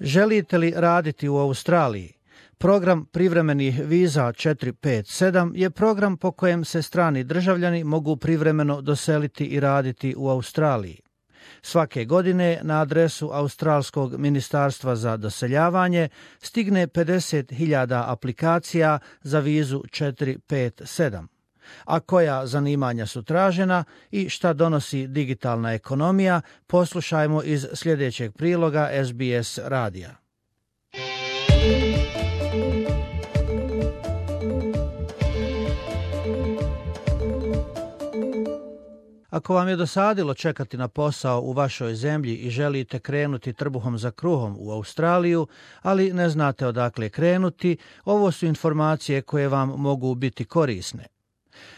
Želite li raditi u Australiji? Program privremenih viza 457 je program po kojem se strani državljani mogu privremeno doseliti i raditi u Australiji. Svake godine na adresu Australskog ministarstva za doseljavanje stigne 50.000 aplikacija za vizu 457. A koja zanimanja su tražena i šta donosi digitalna ekonomija, poslušajmo iz sljedećeg priloga SBS radija. Ako vam je dosadilo čekati na posao u vašoj zemlji i želite krenuti trbuhom za kruhom u Australiju, ali ne znate odakle krenuti, ovo su informacije koje vam mogu biti korisne.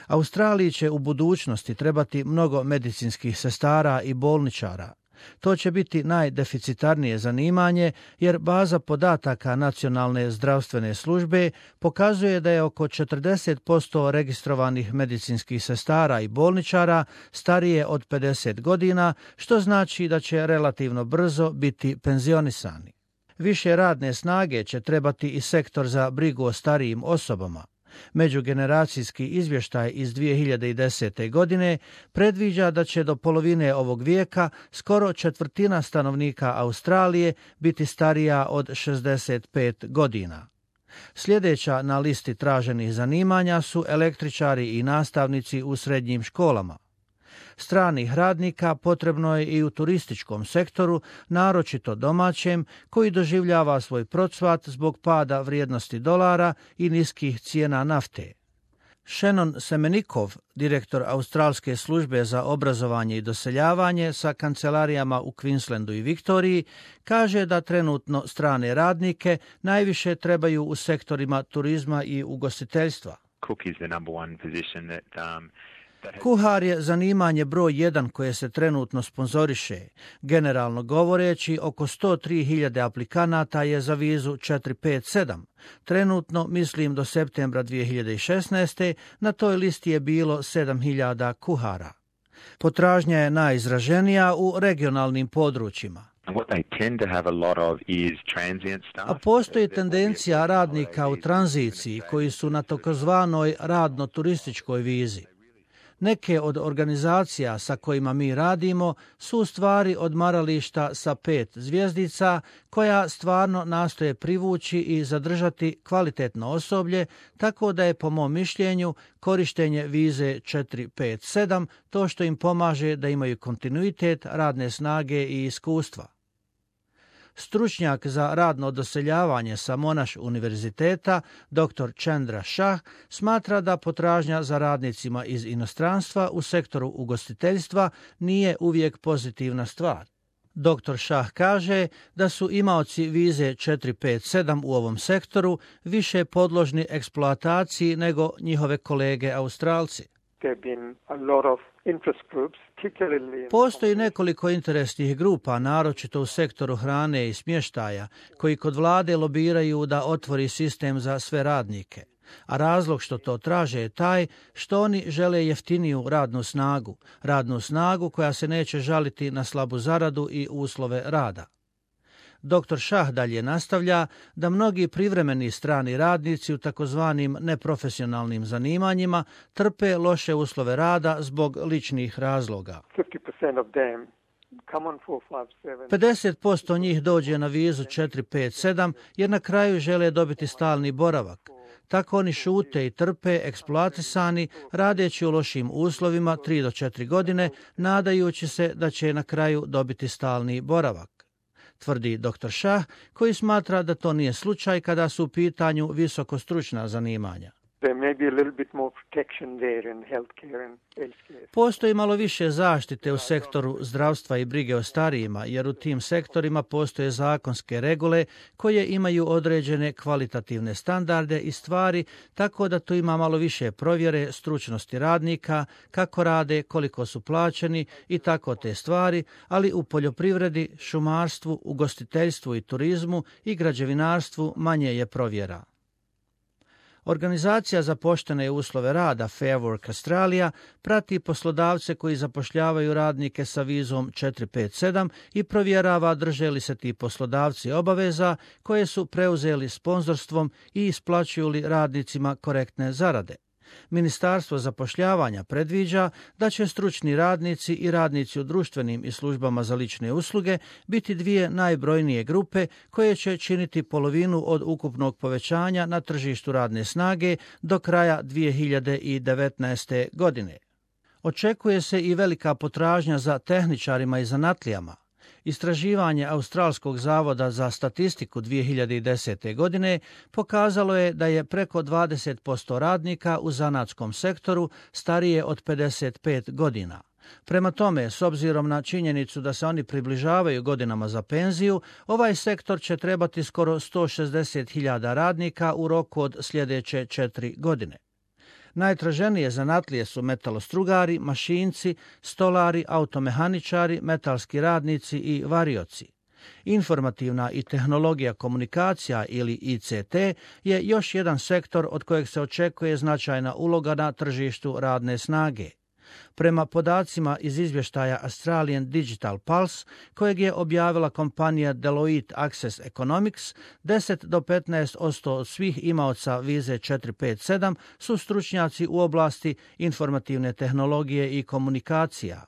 Australiji će u budućnosti trebati mnogo medicinskih sestara i bolničara. To će biti najdeficitarnije zanimanje jer baza podataka Nacionalne zdravstvene službe pokazuje da je oko 40% registrovanih medicinskih sestara i bolničara starije od 50 godina, što znači da će relativno brzo biti penzionisani. Više radne snage će trebati i sektor za brigu o starijim osobama. Međugeneracijski izvještaj iz 2010. godine predviđa da će do polovine ovog vijeka skoro 1/4 stanovnika Australije biti starija od 65 godina. Sljedeća na listi traženih zanimanja su električari i nastavnici u srednjim školama. Stranih radnika potrebno je i u turističkom sektoru, naročito domaćem, koji doživljava svoj procvat zbog pada vrijednosti dolara i niskih cijena nafte. Shannon Semenikov, direktor Australske službe za obrazovanje i doseljavanje sa kancelarijama u Queenslandu i Viktoriji, kaže da trenutno strane radnike najviše trebaju u sektorima turizma i ugostiteljstva. Kuhar je zanimanje broj 1 koje se trenutno sponzoriše. Generalno govoreći, oko 103.000 aplikanata je za vizu 457. Trenutno, mislim do septembra 2016. na toj listi je bilo 7.000 kuhara. Potražnja je najizraženija u regionalnim područjima. A postoji tendencija radnika u tranziciji koji su na takozvanoj radno-turističkoj vizi. Neke od organizacija sa kojima mi radimo su u stvari odmarališta sa 5 zvjezdica koja stvarno nastoje privući i zadržati kvalitetno osoblje, tako da je po mom mišljenju korištenje vize 457 to što im pomaže da imaju kontinuitet radne snage i iskustva. Stručnjak za radno doseljavanje sa Monash univerziteta, dr. Chandra Shah, smatra da potražnja za radnicima iz inostranstva u sektoru ugostiteljstva nije uvijek pozitivna stvar. Dr. Shah kaže da su imaoci vize 457 u ovom sektoru više podložni eksploataciji nego njihove kolege Australci. Postoji nekoliko interesnih grupa, naročito u sektoru hrane i smještaja, koji kod vlade lobiraju da otvori sistem za sve radnike. A razlog što to traže je taj što oni žele jeftiniju radnu snagu koja se neće žaliti na slabu zaradu i uslove rada. Dr. Shah dalje nastavlja da mnogi privremeni strani radnici u takozvanim neprofesionalnim zanimanjima trpe loše uslove rada zbog ličnih razloga. 50% njih dođe na vizu 457 jer na kraju žele dobiti stalni boravak. Tako oni šute i trpe eksploatisani, radeći u lošim uslovima 3 do 4 godine, nadajući se da će na kraju dobiti stalni boravak. Tvrdi dr. Shah, koji smatra da to nije slučaj kada su u pitanju visokostručna zanimanja. Postoji malo više zaštite u sektoru zdravstva i brige o starijima, jer u tim sektorima postoje zakonske regule koje imaju određene kvalitativne standarde i stvari, tako da tu ima malo više provjere stručnosti radnika, kako rade, koliko su plaćeni i tako te stvari, ali u poljoprivredi, šumarstvu, ugostiteljstvu i turizmu i građevinarstvu manje je provjera. Organizacija za poštene uslove rada Fair Work Australia prati poslodavce koji zapošljavaju radnike sa vizom 457 i provjerava drže li se ti poslodavci obaveza koje su preuzeli sponzorstvom i isplaćuju li radnicima korektne zarade. Ministarstvo zapošljavanja predviđa da će stručni radnici i radnici u društvenim i službama za lične usluge biti dvije najbrojnije grupe koje će činiti polovinu od ukupnog povećanja na tržištu radne snage do kraja 2019. godine. Očekuje se i velika potražnja za tehničarima i zanatlijama. Istraživanje Australskog zavoda za statistiku 2010. godine pokazalo je da je preko 20% radnika u zanatskom sektoru starije od 55 godina. Prema tome, s obzirom na činjenicu da se oni približavaju godinama za penziju, ovaj sektor će trebati skoro 160.000 radnika u roku od sljedeće 4 godine. Najtraženije zanatlije su metalostrugari, mašinci, stolari, automehaničari, metalski radnici i varioci. Informativna i tehnologija komunikacija ili ICT je još jedan sektor od kojeg se očekuje značajna uloga na tržištu radne snage. Prema podacima iz izvještaja Australian Digital Pulse, kojeg je objavila kompanija Deloitte Access Economics, 10 do 15% od svih imaoca vize 457 su stručnjaci u oblasti informativne tehnologije i komunikacija.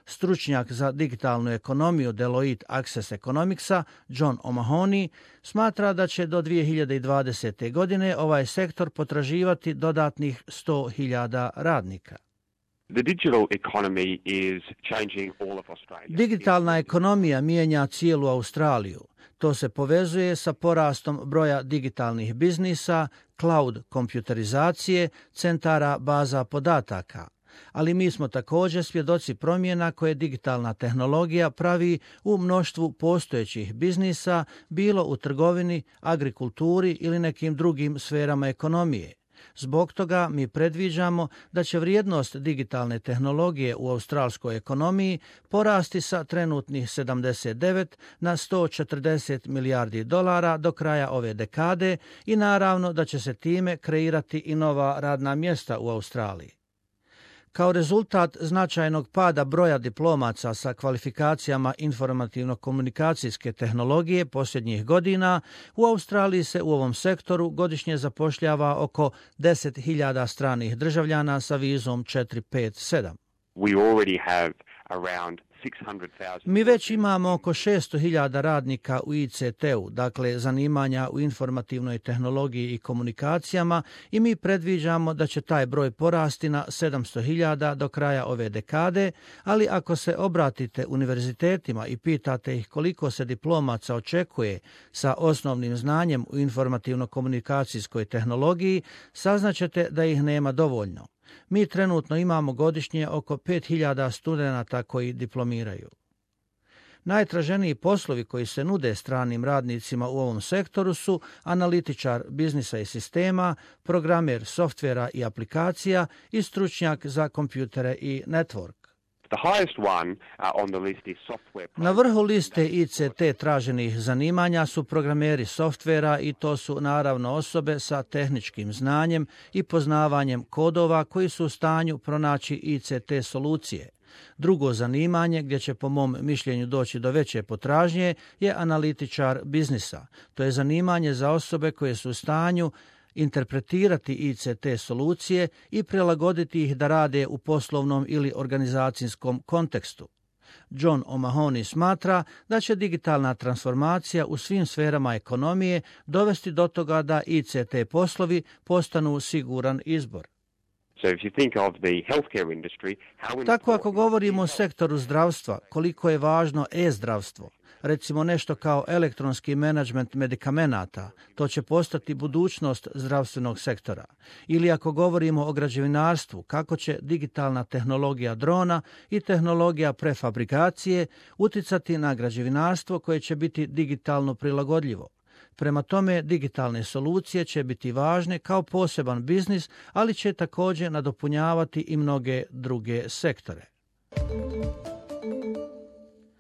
Stručnjak za digitalnu ekonomiju Deloitte Access Economicsa, John O'Mahony, smatra da će do 2020. godine ovaj sektor potraživati dodatnih 100.000 radnika. Digitalna ekonomija mijenja cijelu Australiju. To se povezuje sa porastom broja digitalnih biznisa, cloud kompjuterizacije, centara baza podataka. Ali mi smo također svjedoci promjena koje digitalna tehnologija pravi u mnoštvu postojećih biznisa, bilo u trgovini, agrikulturi ili nekim drugim sferama ekonomije. Zbog toga mi predviđamo da će vrijednost digitalne tehnologije u australskoj ekonomiji porasti sa trenutnih 79 na 140 milijardi dolara do kraja ove dekade i naravno da će se time kreirati i nova radna mjesta u Australiji. Kao rezultat značajnog pada broja diplomaca sa kvalifikacijama informativno-komunikacijske tehnologije posljednjih godina, u Australiji se u ovom sektoru godišnje zapošljava oko 10.000 stranih državljana sa vizom 457. Mi već imamo oko 600.000 radnika u ICT-u, dakle zanimanja u informativnoj tehnologiji i komunikacijama, i mi predviđamo da će taj broj porasti na 700.000 do kraja ove dekade, ali ako se obratite univerzitetima i pitate ih koliko se diplomaca očekuje sa osnovnim znanjem u informativno-komunikacijskoj tehnologiji, saznaćete da ih nema dovoljno. Mi trenutno imamo godišnje oko 5.000 studenata koji diplomiraju. Najtraženiji poslovi koji se nude stranim radnicima u ovom sektoru su analitičar biznisa i sistema, programer softvera i aplikacija i stručnjak za kompjutere i network. Na vrhu liste ICT traženih zanimanja su programeri softvera i to su naravno osobe sa tehničkim znanjem i poznavanjem kodova koji su u stanju pronaći ICT solucije. Drugo zanimanje gdje će po mom mišljenju doći do veće potražnje je analitičar biznisa. To je zanimanje za osobe koje su u stanju interpretirati ICT solucije i prilagoditi ih da rade u poslovnom ili organizacijskom kontekstu. John O'Mahony smatra da će digitalna transformacija u svim sferama ekonomije dovesti do toga da ICT poslovi postanu siguran izbor. Tako ako govorimo o sektoru zdravstva, koliko je važno e-zdravstvo, recimo nešto kao elektronski menadžment medikamenata, to će postati budućnost zdravstvenog sektora. Ili ako govorimo o građevinarstvu, kako će digitalna tehnologija drona i tehnologija prefabrikacije uticati na građevinarstvo koje će biti digitalno prilagodljivo. Prema tome, digitalne solucije će biti važne kao poseban biznis, ali će također nadopunjavati i mnoge druge sektore.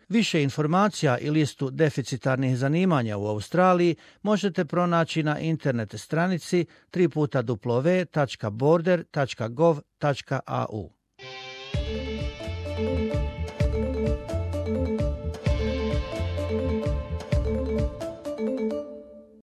Više informacija i listu deficitarnih zanimanja u Australiji možete pronaći na internet stranici www.border.gov.au.